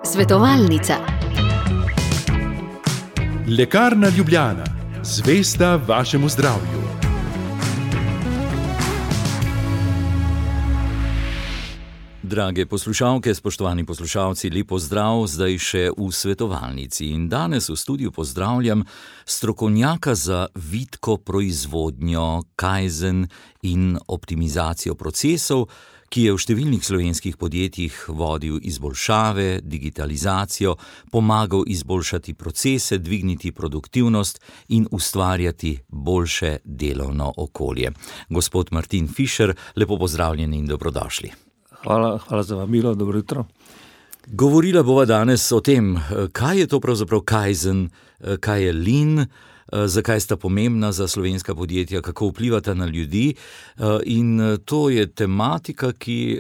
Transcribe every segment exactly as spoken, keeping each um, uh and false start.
Svetovalnica. Lekarna Ljubljana, zvesta vašemu zdravju. Drage poslušalke, spoštovani poslušalci, lep pozdrav zdaj še v svetovalnici. In danes v studiu pozdravljam strokovnjaka za vitko proizvodnjo, kaizen in optimizacijo procesov, ki je v številnih slovenskih podjetjih vodil izboljšave, digitalizacijo, pomagal izboljšati procese, dvigniti produktivnost in ustvarjati boljše delovno okolje. Gospod Martin Fišer, lepo pozdravljeni in dobrodošli. Hvala, hvala za vabilo, dobro jutro. Govorila bova danes o tem, kaj je to pravzaprav kaizen, kaj je lean, zakaj sta pomembna za slovenska podjetja, kako vplivata na ljudi, in to je tematika, ki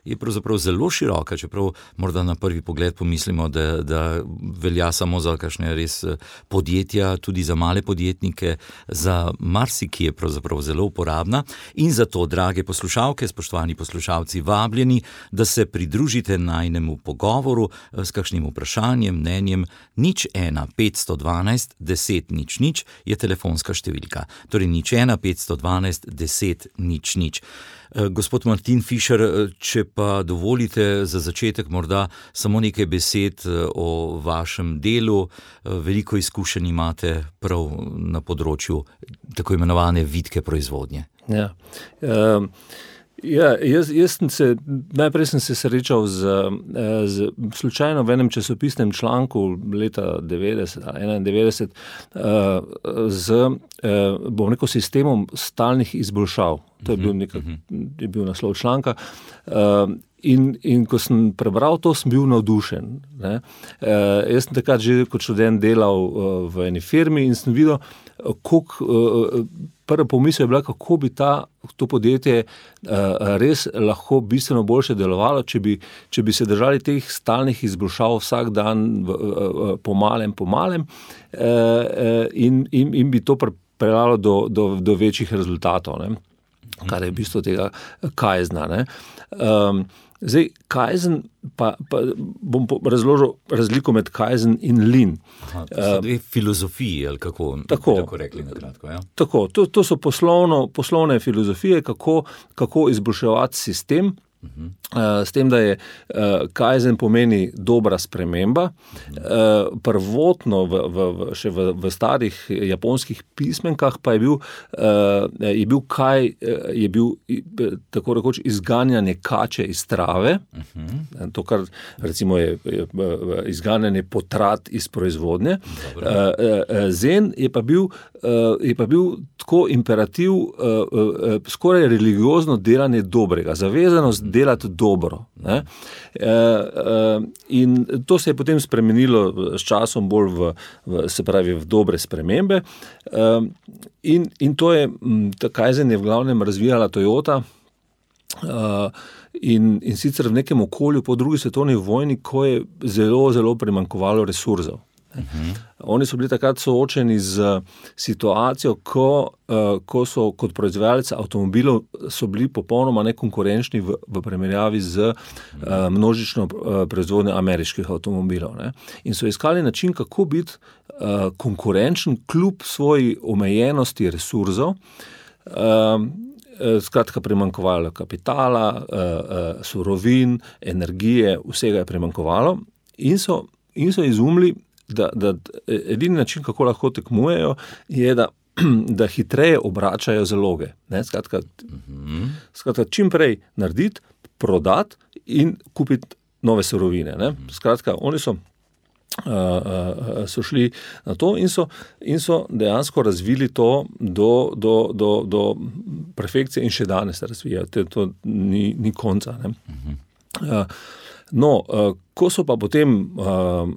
je pravzaprav zelo široka, čeprav morda na prvi pogled pomislimo, da, da velja samo za kakšne res podjetja, tudi za male podjetnike, za marsikaj je pravzaprav zelo uporabna. In zato, drage poslušalke, spoštovani poslušalci, vabljeni, da se pridružite najnemu pogovoru s kakšnim vprašanjem, mnenjem. Nič ena petsto dvanajst deset nič nič je telefonska številka. Torej nič ena petsto dvanajst deset nič nič. Gospod Martin Fišer, če pa dovolite za začetek morda samo nekaj besed o vašem delu. Veliko izkušenj imate prav na področju tako imenovane vitke proizvodnje. Ja, um... Ja, jaz, jaz sem se, najprej sem se srečal z, z slučajno v enem časopisnem članku leta devetdeset, enaindevetdeset z, bom rekel, sistemom stalnih izboljšav. To je bil, nekak, je bil naslov članka. In, in ko sem prebral to, sem bil navdušen. Ne. Jaz sem takrat že kot študent delal v eni firmi in sem videl, koliko, prva pomisel je bila, kako bi ta, to podjetje res lahko bistveno boljše delovalo, če bi, če bi se držali teh stalnih izboljšav vsak dan po malem, po malem in, in, in bi to pripeljalo do, do, do večjih rezultatov, ne. Kar je v bistvu tega kaizna. Ne. Um, Zdaj, kaizen, pa, pa bom razložil razliko med kaizen in lean. Aha, to so dve filozofiji, ali kako, tako, tako rekli na kratko, ja? Tako, to, to so poslovno, poslovne filozofije, kako, kako izboljševati sistem, uh-huh. uh, s tem, da je uh, kaizen pomeni dobra sprememba. Uh-huh. Uh, prvotno v, v, v, še v, v starih japonskih pismenkah pa je bil, uh, je bil kaj, je bil tako rekoč izganjanje kače iz trave. Uh-huh. To, kar recimo je, je izganjanje potrat iz proizvodnje. Uh, uh, zen je pa bil, uh, je pa bil tako imperativ, uh, uh, skoraj religiozno delanje dobrega, zavezanost uh-huh. delati dobro. Ne? Uh, uh, in to se je potem spremenilo s časom bolj v, v, se pravi, v dobre spremembe. Uh, in, in to je, ta kaizen je v glavnem razvijala Toyota, uh, in, in sicer v nekem okolju po drugi svetovni vojni, ko je zelo, zelo primanjkovalo resursov. Uh-huh. Oni so bili takrat soočeni z situacijo, ko, uh, ko so kot proizvajalci avtomobilov so bili popolnoma nekonkurenčni v, v primerjavi z uh, množično uh, proizvodnjo ameriških avtomobilov. Ne? In so iskali način, kako biti uh, konkurenčen kljub svoji omejenosti resursov. Uh, Skratka, primanjkovalo kapitala, uh, uh, surovin, energije, vsega je primanjkovalo in so, in so izumili, Da, da edini način, kako lahko tekmujejo, je, da, da hitreje obračajo zaloge. Ne? Skratka, uh-huh. skratka, čim prej narediti, prodati in kupiti nove surovine. Ne? Skratka, oni so, uh, uh, so šli na to in so, in so dejansko razvili to do, do, do, do perfekcije in še danes se razvijajo. To ni, ni konca. Ne? Uh-huh. Uh, No, ko so pa potem, uh,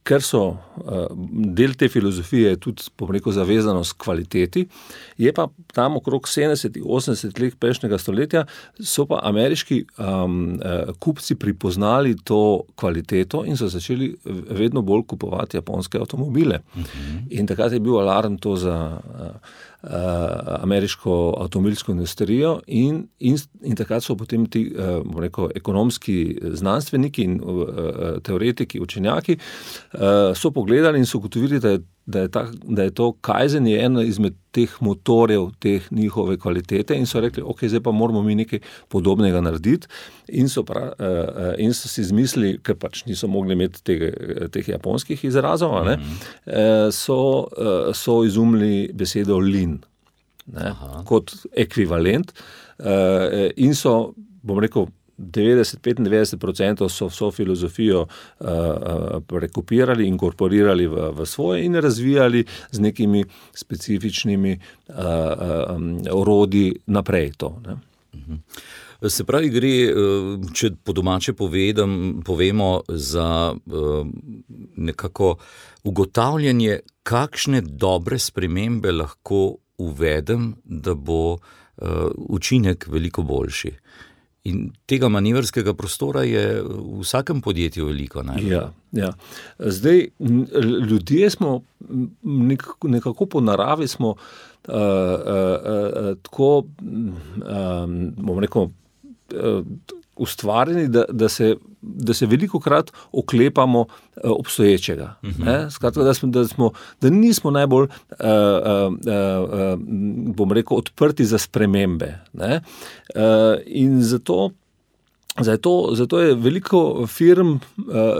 ker so uh, del te filozofije tudi, bom rekel, zavezanost kvaliteti, je pa tam okrog sedemdeset osemdeset let prejšnjega stoletja so pa ameriški um, uh, kupci pripoznali to kvaliteto in so začeli vedno bolj kupovati japonske avtomobile. Uh-huh. In takrat je bil alarm to za uh, uh, ameriško avtomobilsko industrijo in, in, in takrat so potem ti, uh, bom rekel, ekonomski znanstveniki in uh, teoretiki, učenjaki uh, so pogledali in so ugotovili, da je Da je, ta, da je to Kaizen je ena izmed teh motorjev, teh njihove kvalitete in so rekli, ok, zdaj pa moramo mi nekaj podobnega narediti in so, pra, uh, in so si izmislili, ker pač niso mogli imeti tega, teh japonskih izrazov, ne, mm-hmm. uh, so, uh, so izumili besedo lean, ne, kot ekvivalent uh, in so, bom rekel, devetdeset do petindevetdeset procentov so vso filozofijo uh, uh, rekopirali, inkorporirali v, v svoje in razvijali z nekimi specifičnimi uh, um, orodji naprej to. Ne? Se pravi, gre, če po domače povedam, povemo za nekako ugotavljanje, kakšne dobre spremembe lahko uvedem, da bo učinek veliko boljši. In tega manevrskega prostora je v vsakem podjetju veliko. Ja, ja. Zdaj, ljudje smo nekako po naravi smo uh, uh, uh, tako, um, bom rekel, uh, ustvarjeni, da, da, se, da se velikokrat oklepamo obstoječega. Uh-huh. Ne? Skratka, da, smo, da, smo, da nismo najbolj, uh, uh, uh, bom rekel, odprti za spremembe. Ne? Uh, in zato, zato, zato je veliko firm uh,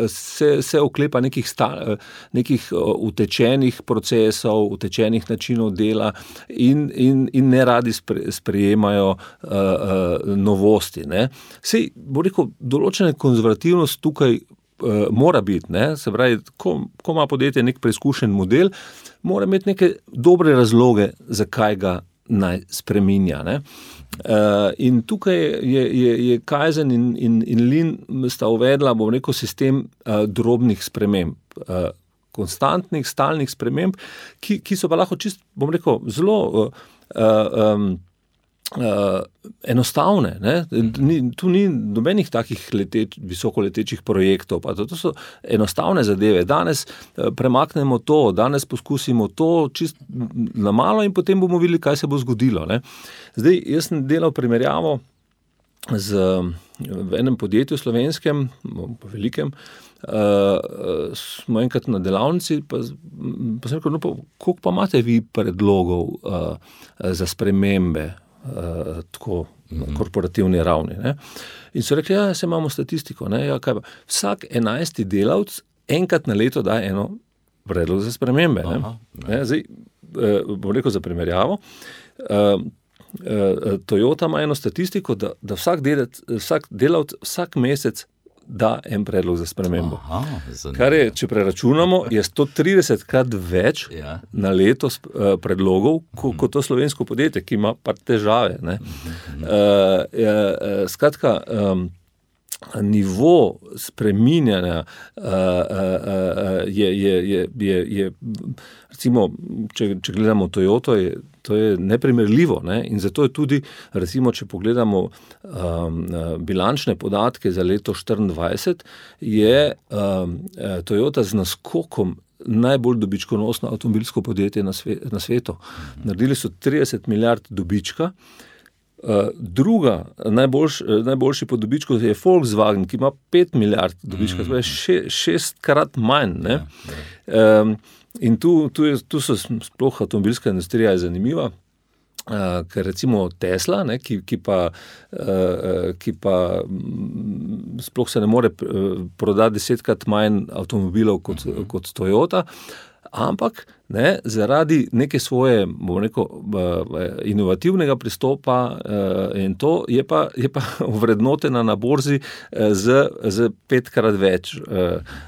se, se oklepa nekih, sta, nekih utečenih procesov, utečenih načinov dela in, in, in ne radi spre, sprejemajo uh, uh, novosti. Ne? Sej, bo rekel, določena konzervativnost tukaj uh, mora biti, ne? Se pravi, ko, ko ima podjetje nek preizkušen model, mora imeti neke dobre razloge, zakaj ga naj spreminja. Ne? Uh, in tukaj je, je, je Kaizen in, in, in Lean sta uvedla, bom rekel, sistem uh, drobnih sprememb, uh, konstantnih, stalnih sprememb, ki, ki so pa lahko čist, bom rekel, zelo uh, um, uh, enostavne. Ne? Ni, tu ni nobenih takih leteč, visokoletečih projektov, pa to, to so enostavne zadeve. Danes uh, premaknemo to, danes poskusimo to čist na malo in potem bomo videli, kaj se bo zgodilo. Ne? Zdaj, jaz sem delal primerjavo z, v enem podjetju slovenskem, velikem, uh, smo enkrat na delavnici, pa, pa sem rekel, no, pa, koliko pa imate vi predlogov uh, za spremembe, uh, tako na korporativni ravni. Ne? In so rekli, ja, se imamo statistiko. Ne? Ja, kaj pa? Vsak enajsti delavc enkrat na leto daje eno predlog za spremembe. Aha, ne? Ne? Zdaj, uh, bom rekel za primerjavo, uh, Toyota ima eno statistiko, da, da vsak, delec, vsak delavc vsak mesec da en predlog za spremembo. Aha, kar je, če preračunamo, je sto trideset krat več ja. na leto uh, predlogov, ko, kot to slovensko podjetje, ki ima pa težave. Ne? Uh, uh, skratka, um, nivo spreminjanja uh, uh, je, je, je, je, je recimo, če, če gledamo Toyoto, je, to je neprimerljivo. Ne? In zato je tudi, recimo, če pogledamo um, bilančne podatke za leto štiriindvajset, je um, Toyota z naskokom najbolj dobičkonosno avtomobilsko podjetje na, sve, na svetu. Naredili so trideset milijard dobička. Uh, druga, najboljš, najboljši po dobičku je Volkswagen, ki ima pet milijard dobička, to je še, šestkrat manj. Ne? Ja, ja. Um, in tu, tu, je, tu so sploh avtomobilska industrija je zanimiva, uh, ker recimo Tesla, ne, ki, ki, pa, uh, ki pa sploh se ne more prodati desetkrat manj avtomobilov kot, uh-huh. kot Toyota, ampak ne, zaradi neke svoje, bom rekel, inovativnega pristopa in to je pa, je pa vrednotena na borzi z, z petkrat več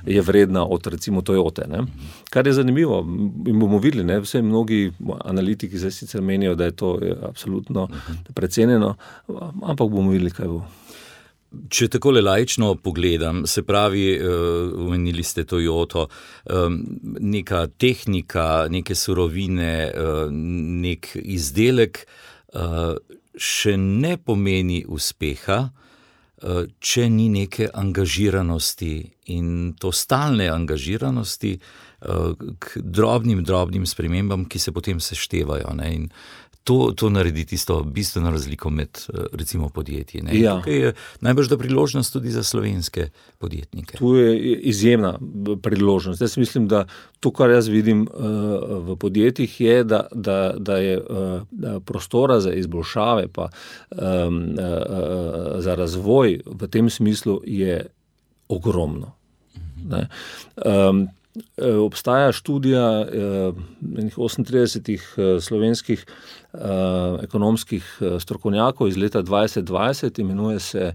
je vredna od recimo Toyote. Ne. Kar je zanimivo in bomo videli, ne, vse mnogi analitiki zdaj sicer menijo, da je to absolutno precenjeno, ampak bomo videli, kaj bo. Če takole laično pogledam, se pravi, omenili ste Toyoto, neka tehnika, neke surovine, nek izdelek še ne pomeni uspeha, če ni neke angažiranosti in to stalne angažiranosti k drobnim, drobnim spremembam, ki se potem seštevajo, ne, in To, to naredi tisto bistveno razliko med, recimo, podjetji. Ne? Ja. Tukaj je najbrž da priložnost tudi za slovenske podjetnike. Tu je izjemna priložnost. Jaz mislim, da to, kar jaz vidim uh, v podjetjih, je, da, da, da je uh, prostora za izboljšave pa um, uh, za razvoj v tem smislu je ogromno. Mhm. Ne? Um, Obstaja študija eh, osemintridesetih eh, slovenskih eh, ekonomskih strokovnjakov iz leta dvajset dvajset, imenuje se,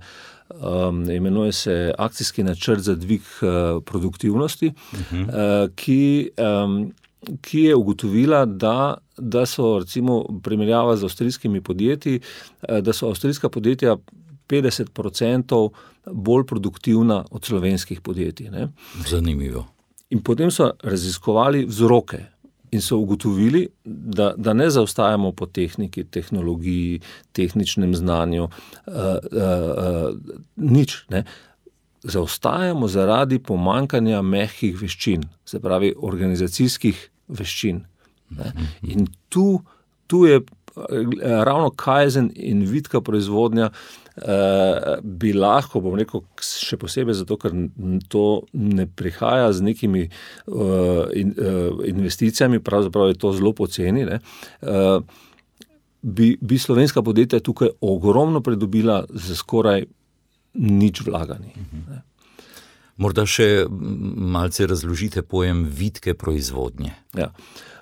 um, imenuje se akcijski načrt za dvig eh, produktivnosti, uh-huh. eh, ki, um, ki je ugotovila, da, da so recimo primerjava z avstrijskimi podjetji, eh, da so avstrijska podjetja petdeset procentov bolj produktivna od slovenskih podjetij. Ne? Zanimivo. In potem so raziskovali vzroke in so ugotovili, da, da ne zaostajamo po tehniki, tehnologiji, tehničnem znanju, uh, uh, uh, nič. Ne. Zaostajamo zaradi pomanjkanja mehkih veščin, se pravi organizacijskih veščin. Ne. In tu, tu je ravno kaizen in vitka proizvodnja Uh, bi lahko, bom rekel, še posebej zato, ker to ne prihaja z nekimi uh, in, uh, investicijami, pravzaprav je to zelo poceni, ne, uh, bi, bi slovenska podjetja tukaj ogromno pridobila za skoraj nič vlaganj. Mhm. Morda še malce razložite pojem vitke proizvodnje. Ja.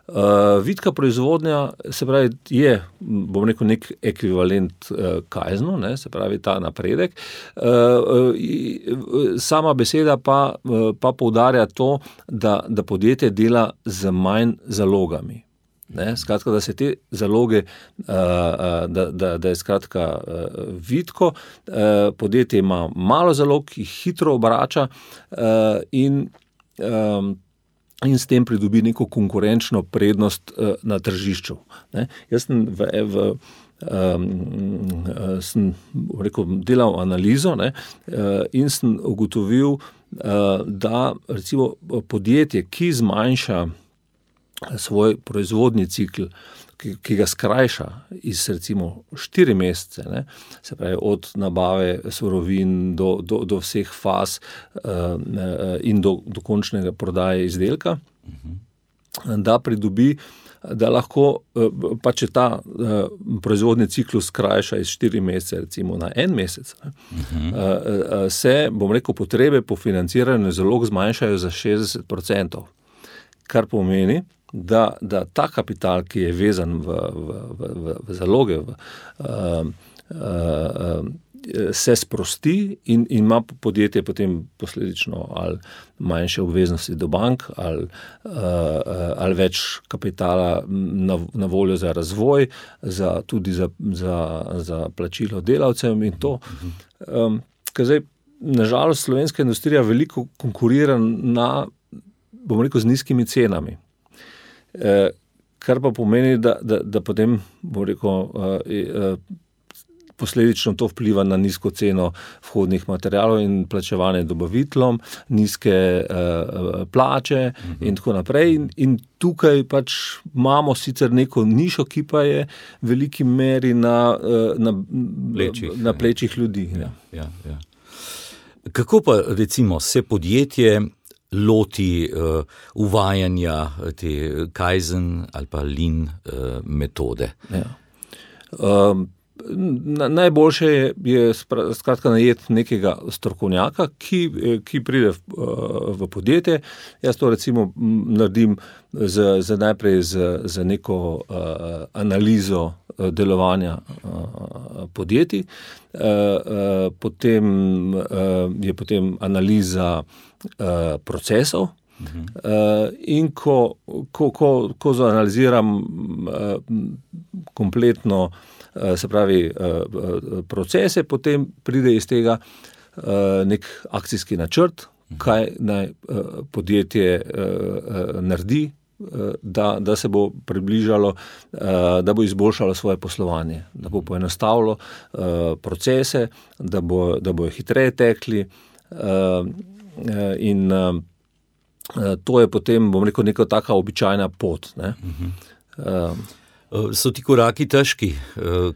Uh, vitka proizvodnja, se pravi, je, bom rekel, nek ekvivalent uh, kaiznu, ne, se pravi, ta napredek. Uh, uh, sama beseda pa, uh, pa poudarja to, da, da podjetje dela z manj zalogami. Ne, skratka, da se te zaloge, uh, uh, da, da, da je skratka uh, vitko, uh, podjetje ima malo zalog, jih hitro obrača uh, in um, in s tem pridobi neko konkurenčno prednost uh, na tržišču. Ne? Jaz sem, v, v, um, sem rekel, delal analizo, ne? Uh, in sem ugotovil, uh, da recimo podjetje, ki zmanjša svoj proizvodni cikl, ki, ki ga skrajša iz recimo štiri mesece, ne, se pravi od nabave surovin do, do, do vseh faz uh, in do, do končnega prodaje izdelka, uh-huh. da pridobi, da lahko, uh, pa če ta uh, proizvodni ciklus skrajša iz štiri mesece recimo na en mesec, ne, uh-huh. uh, uh, se, bom rekel, potrebe po financiranju zalog zmanjšajo za šestdeset procentov, kar pomeni, Da, da ta kapital, ki je vezan v, v, v, v zaloge, v, uh, uh, se sprosti in, in ima podjetje potem posledično ali manjše obveznosti do bank ali, uh, ali več kapitala na, na voljo za razvoj, za, tudi za, za, za plačilo delavcem in to. Um, ker zdaj, nažalost, slovenska industrija veliko konkurira na, bom rekel, z nizkimi cenami. Eh, kar pa pomeni, da, da, da potem, bom rekel, eh, eh, posledično to vpliva na nizko ceno vhodnih materialov in plačevanje dobaviteljem, nizke eh, plače mhm. in tako naprej. In, in tukaj pač imamo sicer neko nišo, ki pa je v veliki meri na, na plečih, na plečih ljudi. Ja, ja, ja. Kako pa recimo se podjetje loti uh, uvajanja te kaizen ali pa lean uh, metode? Ja. Um, na, najboljše je, je skratka najeti nekega strokovnjaka, ki, ki pride v, v podjetje. Jaz to recimo naredim z, z najprej z, z neko uh, analizo delovanja uh, podjetij. Uh, uh, potem uh, je potem analiza uh, procesov. Uh-huh. Uh, in ko, ko, ko, ko zanaliziram uh, kompletno se pravi procese, potem pride iz tega nek akcijski načrt, kaj naj podjetje naredi, Da, da se bo približalo, da bo izboljšalo svoje poslovanje, da bo poenostavilo procese, da bo, da bojo hitreje tekli in to je potem, bom rekel, neka taka običajna pot. Ne? Uh-huh. So ti koraki težki,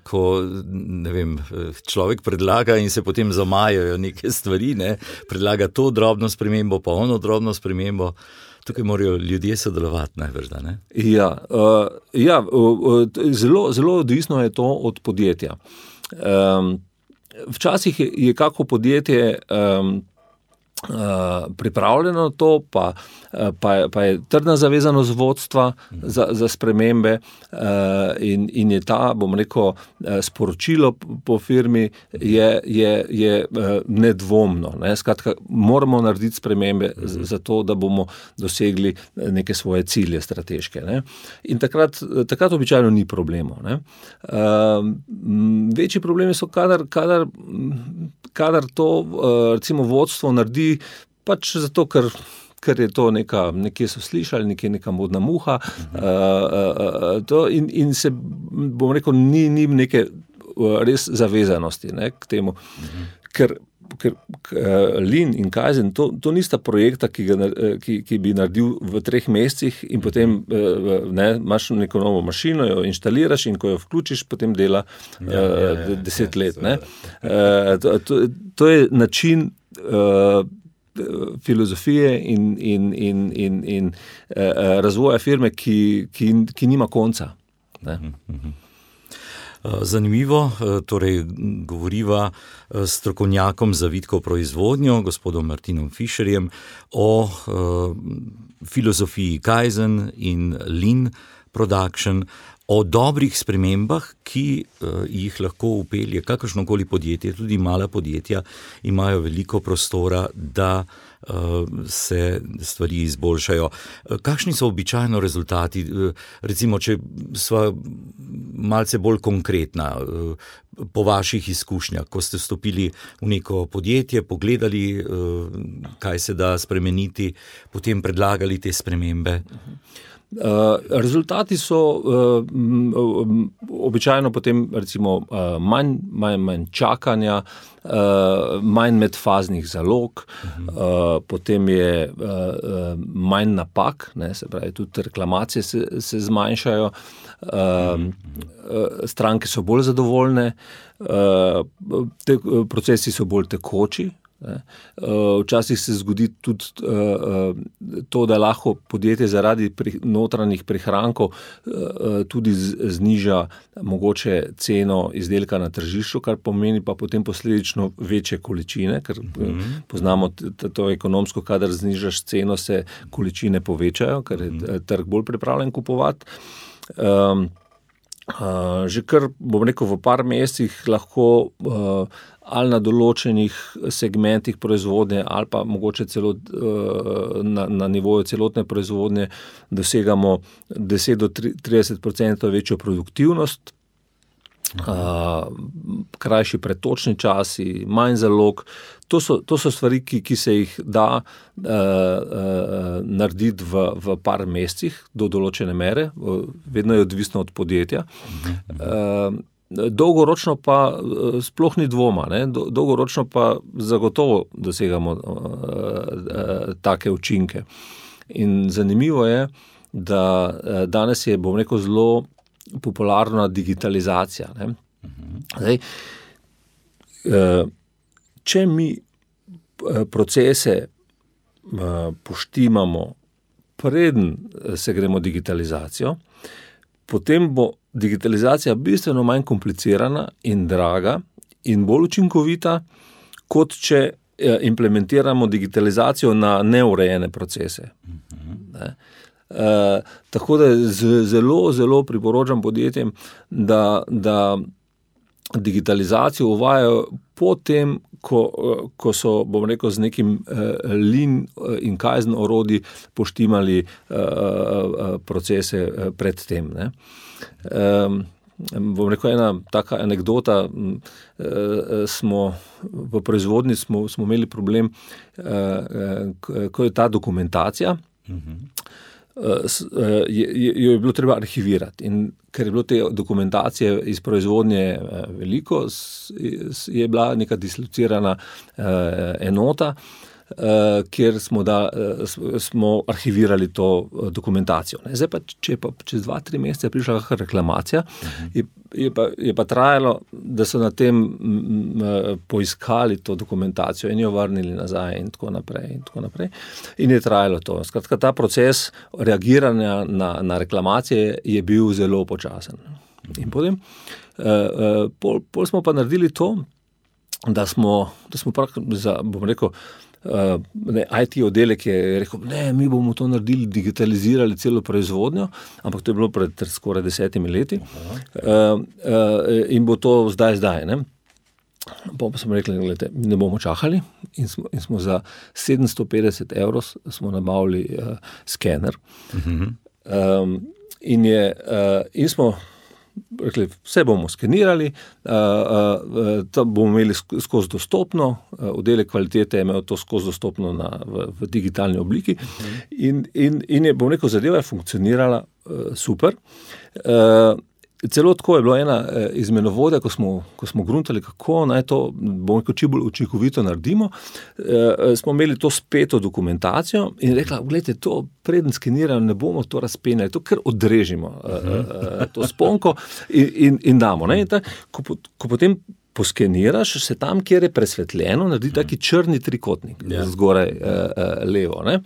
ko ne vem, človek predlaga in se potem zamajajo neke stvari, ne? Predlaga to drobno spremembo, pa ono drobno spremembo. Tukaj morajo ljudje sodelovati najbrž, ne? Ja, uh, ja uh, zelo, zelo odvisno je to od podjetja. Um, včasih je, je kako podjetje um, uh, pripravljeno to, pa, pa, pa je trdna zavezanost vodstva za, za spremembe uh, in, in je ta, bom rekel, sporočilo po firmi je, je, je nedvomno. Ne? Skratka, moramo narediti spremembe za to, da bomo dosegli neke svoje cilje strateške. Ne? In takrat, takrat običajno ni problemov. Ne? Uh, večji problemi so, kadar, kadar, kadar to uh, recimo vodstvo naredi pač zato, ker ker je to neka, nekje so slišali, nekje neka modna muha, uh-huh. uh, uh, to in, in se, bom rekel, ni, ni neke res zavezanosti, ne, k temu, uh-huh. ker, ker uh, Lean in Kaizen, to, to nista projekta, ki, ga, ki, ki bi naredil v treh mesecih in potem uh, ne, imaš neko novo mašino, jo inštaliraš in ko jo vključiš, potem dela uh, ja, ja, ja, deset ja, let. Ne. Uh, to, to, to je način uh, filozofije in, in, in, in, in uh, razvoja firme, ki, ki, ki nima konca. Ne? Zanimivo, torej govoriva s strokovnjakom za vitko proizvodnjo, gospodom Martinom Fischerjem, o uh, filozofiji Kaizen in Lean Production, o dobrih spremembah, ki uh, jih lahko upelje kakršnokoli podjetje, tudi mala podjetja imajo veliko prostora, da uh, se stvari izboljšajo. Uh, kakšni so običajno rezultati? Uh, recimo, če sva malce bolj konkretna, uh, po vaših izkušnjah, ko ste vstopili v neko podjetje, pogledali, uh, kaj se da spremeniti, potem predlagali te spremembe. Uh, rezultati so uh, um, običajno potem recimo uh, manj, manj, manj čakanja, uh, manj medfaznih zalog, uh-huh. uh, potem je uh, uh, manj napak, ne, se pravi, tudi reklamacije se, se zmanjšajo, uh, uh, stranke so bolj zadovoljne, uh, te, procesi so bolj tekoči. Včasih se zgodi tudi to, da lahko podjetje zaradi notranjih prihrankov tudi zniža mogoče ceno izdelka na tržišču, kar pomeni pa potem posledično večje količine, ker mm-hmm. poznamo to ekonomsko, kadar znižaš ceno, se količine povečajo, ker je trg bolj pripravljen kupovati. Um, Uh, že kar, bom rekel, v par mesecih lahko uh, ali na določenih segmentih proizvodnje ali pa mogoče celo uh, na, na nivoju celotne proizvodnje dosegamo deset do trideset procentov večjo produktivnost, uh, krajši pretočni časi, manj zalog. To so, to so stvari, ki, ki se jih da uh, uh, narediti v, v par mesecih do določene mere, vedno je odvisno od podjetja. Uh, dolgoročno pa uh, sploh ni dvoma, ne? Dolgoročno pa zagotovo dosegamo uh, uh, take učinke. In zanimivo je, da uh, danes je, bom rekel, zelo popularna digitalizacija. Ne? Zdaj, uh, če mi procese poštimamo, preden se gremo digitalizacijo, potem bo digitalizacija bistveno manj komplicirana in draga in bolj učinkovita, kot če implementiramo digitalizacijo na neurejene procese. Ne? Uh, tako da zelo, zelo priporočam podjetjem, da, da digitalizacijo uvajajo potem, ko, ko so, bom rekel, z nekim uh, Lean in Kaizen orodji poštimali uh, uh, procese pred tem. Ne? Um, bom rekel, ena taka anekdota, smo v proizvodnji smo, smo imeli problem, ko je ta dokumentacija, jo je bilo treba arhivirati in ker je bilo te dokumentacije iz proizvodnje veliko, je bila neka dislocirana enota, Uh, kjer smo, da, uh, smo arhivirali to uh, dokumentacijo. Ne. Zdaj pa, če je pa čez dva, tri mesece prišla kakšna reklamacija, uh-huh. je, je, pa, je pa trajalo, da so na tem m, m, poiskali to dokumentacijo in jo vrnili nazaj in tako naprej in tako naprej. In je trajalo to. Skratka, ta proces reagiranja na, na reklamacije je bil zelo počasen. Uh-huh. In potem, uh, uh, pol, pol smo pa naredili to, da smo, da smo prav, za, bom rekel, Uh, ne, I T oddelek je rekel, ne, mi bomo to naredili, digitalizirali celo proizvodnjo, ampak to je bilo pred skoraj desetimi leti uh, uh, in bo to zdaj, zdaj, ne. Pa smo rekli, gledajte, ne bomo čakali in smo, in smo za sedemsto petdeset evrov smo nabavili uh, skener uh-huh. um, in, je, uh, in smo rekli, vse bomo skenirali, uh, uh, to bomo imeli skozi dostopno, uh, oddelek kvalitete je imel to skozi dostopno na, v, v digitalni obliki uh-huh. in, in, in je, bom rekel, zadeva je funkcionirala uh, super. Uh, celo tako je bilo ena uh, izmenovodja, ko smo, ko smo gruntali, kako naj to, bom rekel, čim bolj učinkovito naredimo, uh, smo imeli to speto dokumentacijo in rekla, gledajte, to preden skeniramo, ne bomo to razpenjali, to kar odrežimo, uh, uh, to sponko in, in, in damo. Ne? In ta, ko, ko potem poskeniraš, se tam, kjer je presvetljeno, naredi taki črni trikotnik, ja. Zgoraj uh, uh, levo. Ne?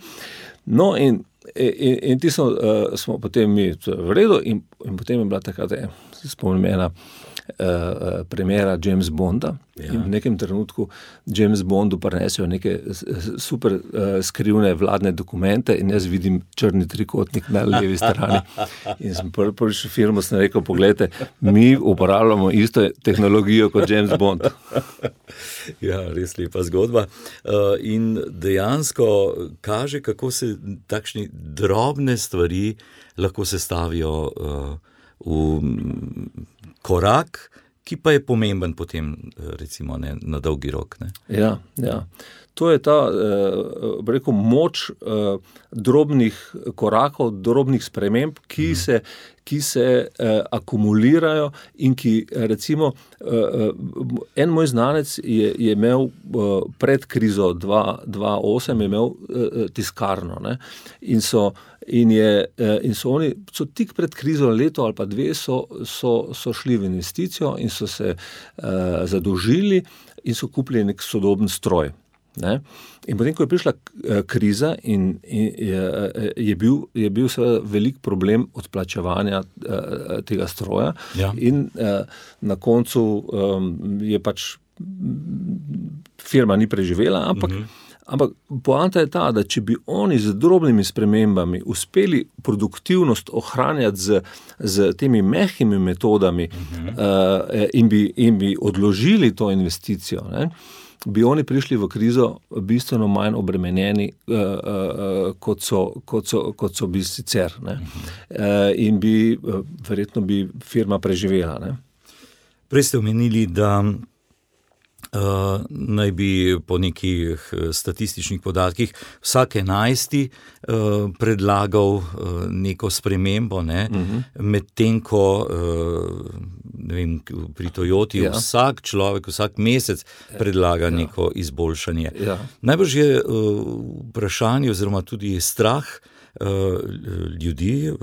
No in In, in ti smo, uh, smo potem mi v redu in, in potem je bila takrat, se spomnim ena uh, premjera James Bonda ja. In v nekem trenutku James Bondu prinesejo neke super uh, skrivne vladne dokumente in jaz vidim črni trikotnik na levi strani. In sem prvi prvi firmo sem rekel, pogledajte, mi uporabljamo isto tehnologijo kot James Bond. Ja, res lepa zgodba. Uh, in dejansko kaže, kako se takšni drobne stvari lahko sestavijo uh, v korak, ki pa je pomemben potem, recimo, ne, na dolgi rok. Ne? Ja, ja. To je ta, eh, rekel, moč eh, drobnih korakov, drobnih sprememb, ki mm. se, ki se eh, akumulirajo in ki, recimo, eh, en moj znanec je, je imel eh, pred krizo dva tisoč osem je imel eh, tiskarno, ne, in so In, je, in so oni, so tik pred krizo leto ali pa dve, so, so, so šli v investicijo in so se uh, zadolžili in so kupili nek sodoben stroj. Ne? In potem, ko je prišla kriza in, in je, je bil, je bil seveda velik problem odplačevanja uh, tega stroja ja. In uh, na koncu um, je pač firma ni preživela, ampak uh-huh. Ampak poanta je ta, da če bi oni z drobnimi spremembami uspeli produktivnost ohranjati z, z temi mehkimi metodami uh-huh. uh, in, bi, in bi odložili to investicijo, ne, bi oni prišli v krizo bistveno manj obremenjeni, uh, uh, kot, so, kot, so, kot so bi sicer. Ne. Uh, in bi, uh, verjetno bi firma preživela. Ne. Prej ste omenili, da Uh, naj bi po nekih statističnih podatkih vsak enajsti uh, predlagal uh, neko spremembo, ne? Uh-huh. Medtem ko uh, ne vem, pri Toyoti ja. Vsak človek, vsak mesec predlaga ja. Neko izboljšanje. Ja. Najbrž je uh, vprašanje oziroma tudi strah uh, ljudi, uh,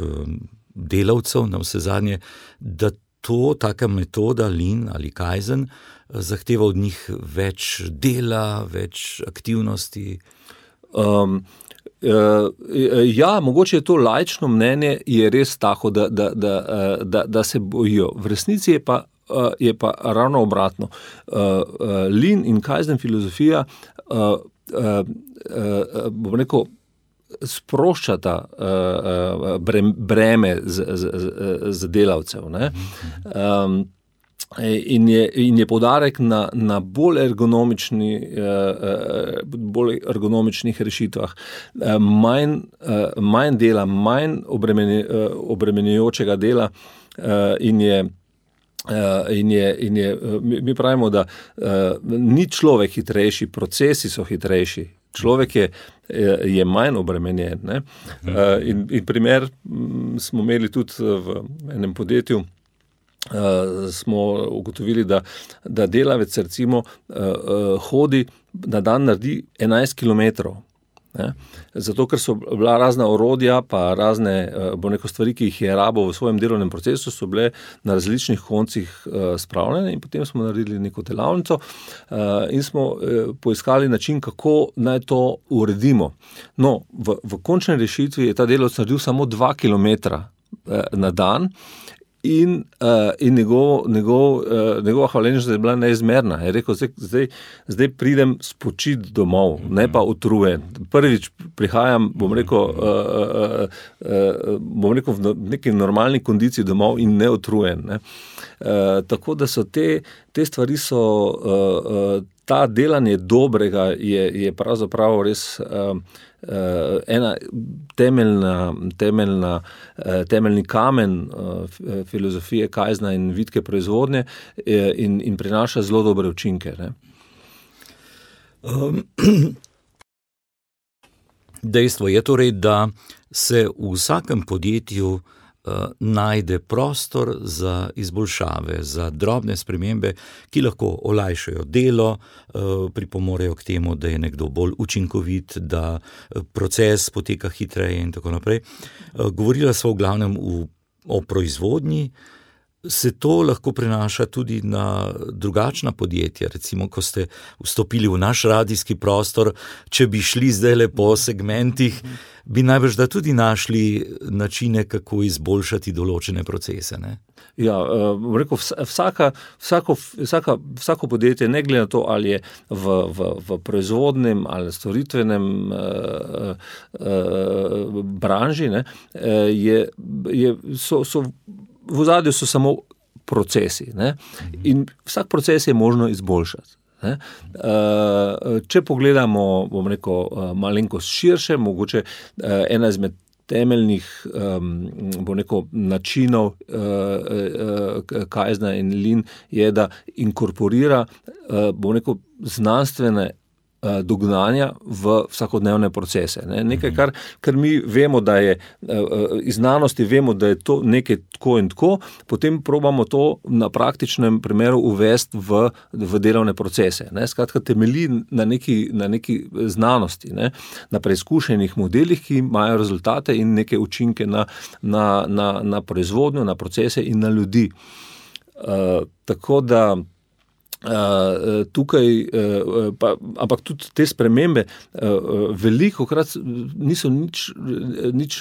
delavcev na vse zadnje, da to, taka metoda Lean ali Kaizen zahteva od njih več dela, več aktivnosti? Um, uh, ja, mogoče je to laično mnenje, je res tako, da, da, da, da, da se bojijo. V resnici je pa, uh, je pa ravno obratno. Uh, uh, Lean in Kaizen filozofija, uh, uh, uh, bom rekel, sproščata uh, breme z, z, z, z delavcev. Ne? Um, In je, in je poudarek na, na bolj, ergonomični, eh, bolj ergonomičnih rešitvah, eh, manj, eh, manj dela, manj obremenj, eh, obremenjujočega dela eh, in je In je, in je, mi pravimo, da ni človek hitrejši, procesi so hitrejši. Človek je, je manj obremenjen. Ne? In, in primer smo imeli tudi v enem podjetju, smo ugotovili, da, da delavec recimo hodi, na dan naredi enajst kilometrov. Ne? Zato, ker so bila razna orodja, pa razne bo neko stvari, ki jih je rabo v svojem delovnem procesu, so bile na različnih koncih uh, spravljene in potem smo naredili neko delavnico uh, in smo uh, poiskali način, kako naj to uredimo. No, v, v končni rešitvi je ta delavec naredil samo dva kilometra uh, na dan. In, uh, in njegov, njegov, uh, njegova hvaležnost je bila neizmerna. Je rekel, zdaj, zdaj, zdaj pridem spočit domov, ne pa utrujen. Prvič prihajam, bom rekel, uh, uh, uh, bom rekel v neki normalni kondiciji domov in ne utrujen. Ne. Uh, tako da so te, te stvari so, uh, uh, ta delanje dobrega je, je pravzaprav res uh, Uh, ena temeljna, temeljna, uh, temeljni kamen uh, filozofije Kaizena in vitke proizvodnje uh, in, in prinaša zelo dobre učinke. Ne? Um, dejstvo je torej, da se v vsakem podjetju Uh, najde prostor za izboljšave, za drobne spremembe, ki lahko olajšajo delo, uh, pripomorejo k temu, da je nekdo bolj učinkovit, da proces poteka hitreje in tako naprej. Uh, govorila sva v glavnem v, o proizvodnji. Se to lahko prenaša tudi na drugačna podjetja, recimo, ko ste vstopili v naš radijski prostor, če bi šli zdajle po segmentih, bi najbrž da tudi našli načine, kako izboljšati določene procese, ne? Ja, bom rekel, vsaka, vsako, vsaka, vsako podjetje, ne glede na to, ali je v, v, v proizvodnem ali storitvenem uh, uh, branži, ne, je, je, so, so v ozadju so samo procesi, ne? In vsak proces je možno izboljšati. Ne? Če pogledamo, bom rekel, malenkost širše, mogoče ena izmed temeljnih bom rekel, načinov Kaizena in Lean je, da inkorporira bom rekel, znanstvene dognanja v vsakodnevne procese. Ne? Nekaj, kar, kar mi vemo, da je iz znanosti vemo, da je to nekaj tako in tako, potem probamo to na praktičnem primeru uvesti v, v delovne procese. Ne? Skratka, temelji na neki, na neki znanosti, ne? Na preizkušenih modelih, ki imajo rezultate in neke učinke na, na, na, na proizvodnjo, na procese in na ljudi. Uh, tako da Uh, tukaj, uh, pa, ampak tudi te spremembe uh, veliko krat niso nič, nič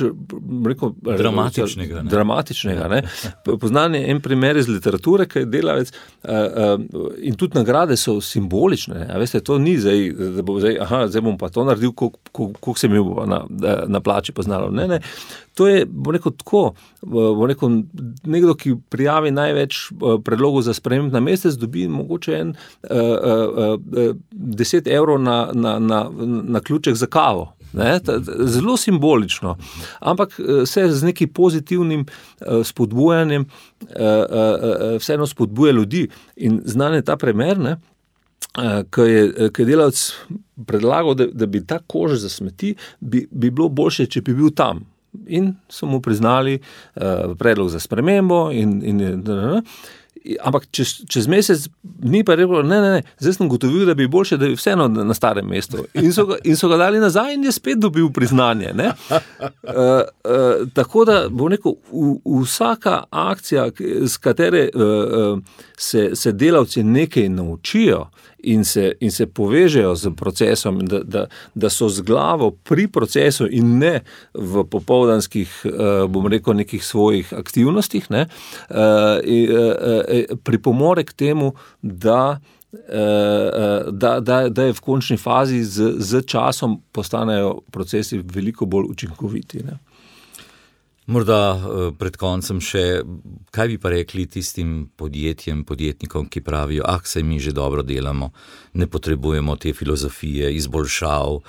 rekel, dramatičnega. Ne? dramatičnega ne? Poznan je en primer iz literature, ki je delavec uh, uh, in tudi nagrade so simbolične. A veste, to ni zdaj, da bo zdaj, aha, zdaj bom pa to naredil, koliko se mi bo na, na plači poznalo. Ne, ne. To je, bo rekel, tako, bo rekel, nekdo, ki prijavi največ predlogov za sprememb na mesec, dobi mogoče en uh, uh, uh, deset evrov na, na, na, na ključek za kavo. Ne? Zelo simbolično, ampak se z nekim pozitivnim uh, spodbujanjem uh, uh, vseeno spodbuja ljudi. In znan je ta primer, ne? Uh, ko je, ko je delavec predlagal, da, da bi ta koš za smeti, bi, bi bilo boljše, če bi bil tam. In so mu priznali uh, predlog za spremembo in, in, in, in ampak čez, čez mesec ni pa rekel, ne, ne, ne, zdaj sem gotovil, da bi boljše, da bi vseeno na starem mestu. In so ga, in so ga dali nazaj in je spet dobil priznanje. Ne? Uh, uh, tako da, bom rekel, v, vsaka akcija, z katere uh, se, se delavci nekaj naučijo in se, in se povežejo z procesom, da, da, da so z glavo pri procesu in ne v popoldanskih, uh, bom rekel, nekih svojih aktivnostih, ne, uh, in, uh, pripomore k temu, da, da, da, da je v končni fazi z, z časom postanejo procesi veliko bolj učinkoviti. Ne? Morda pred koncem še, kaj bi pa rekli tistim podjetjem, podjetnikom, ki pravijo, ah, saj mi že dobro delamo, ne potrebujemo te filozofije, izboljšav,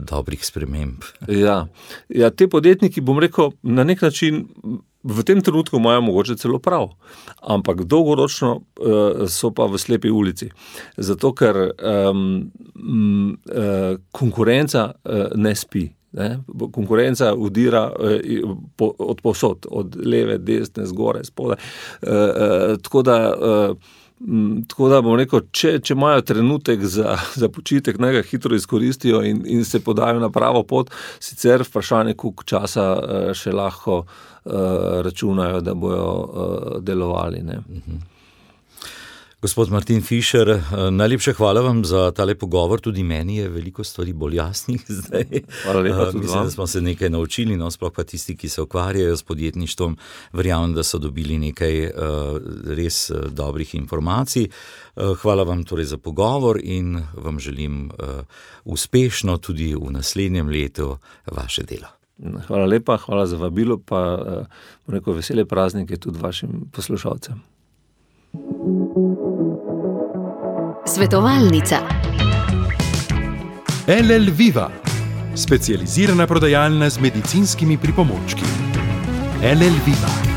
dobrih sprememb. Ja, ja, te podjetniki, bom rekel, na nek način v tem trenutku imajo mogoče celo prav, ampak dolgoročno uh, so pa v slepi ulici. Zato, ker um, m, uh, konkurenca uh, ne spi. Ne? Konkurenca udira uh, po, od povsod, od leve, desne, zgore, spodaj. Uh, uh, tako da uh, Tako da bom rekel, če, če imajo trenutek za, za počitek, naj ga hitro izkoristijo in, in se podajo na pravo pot, sicer vprašanje, koliko časa še lahko uh, računajo, da bojo uh, delovali. Ne. Mhm. Gospod Martin Fišer, najlepša hvala vam za tale pogovor, tudi meni je veliko stvari bolj jasnih zdaj. Hvala lepa tudi Mislim, vam. da smo se nekaj naučili, no, sploh pa tisti, ki se ukvarjajo s podjetništvom, verjamem, da so dobili nekaj uh, res uh, dobrih informacij. Uh, hvala vam torej za pogovor in vam želim uh, uspešno tudi v naslednjem letu vaše delo. Hvala lepa, hvala za vabilo, pa uh, bom rekel, vesele praznike tudi vašim poslušalcem. Svetovalnica. L L Viva, specializirana prodajalna z medicinskimi pripomočki. L L Viva.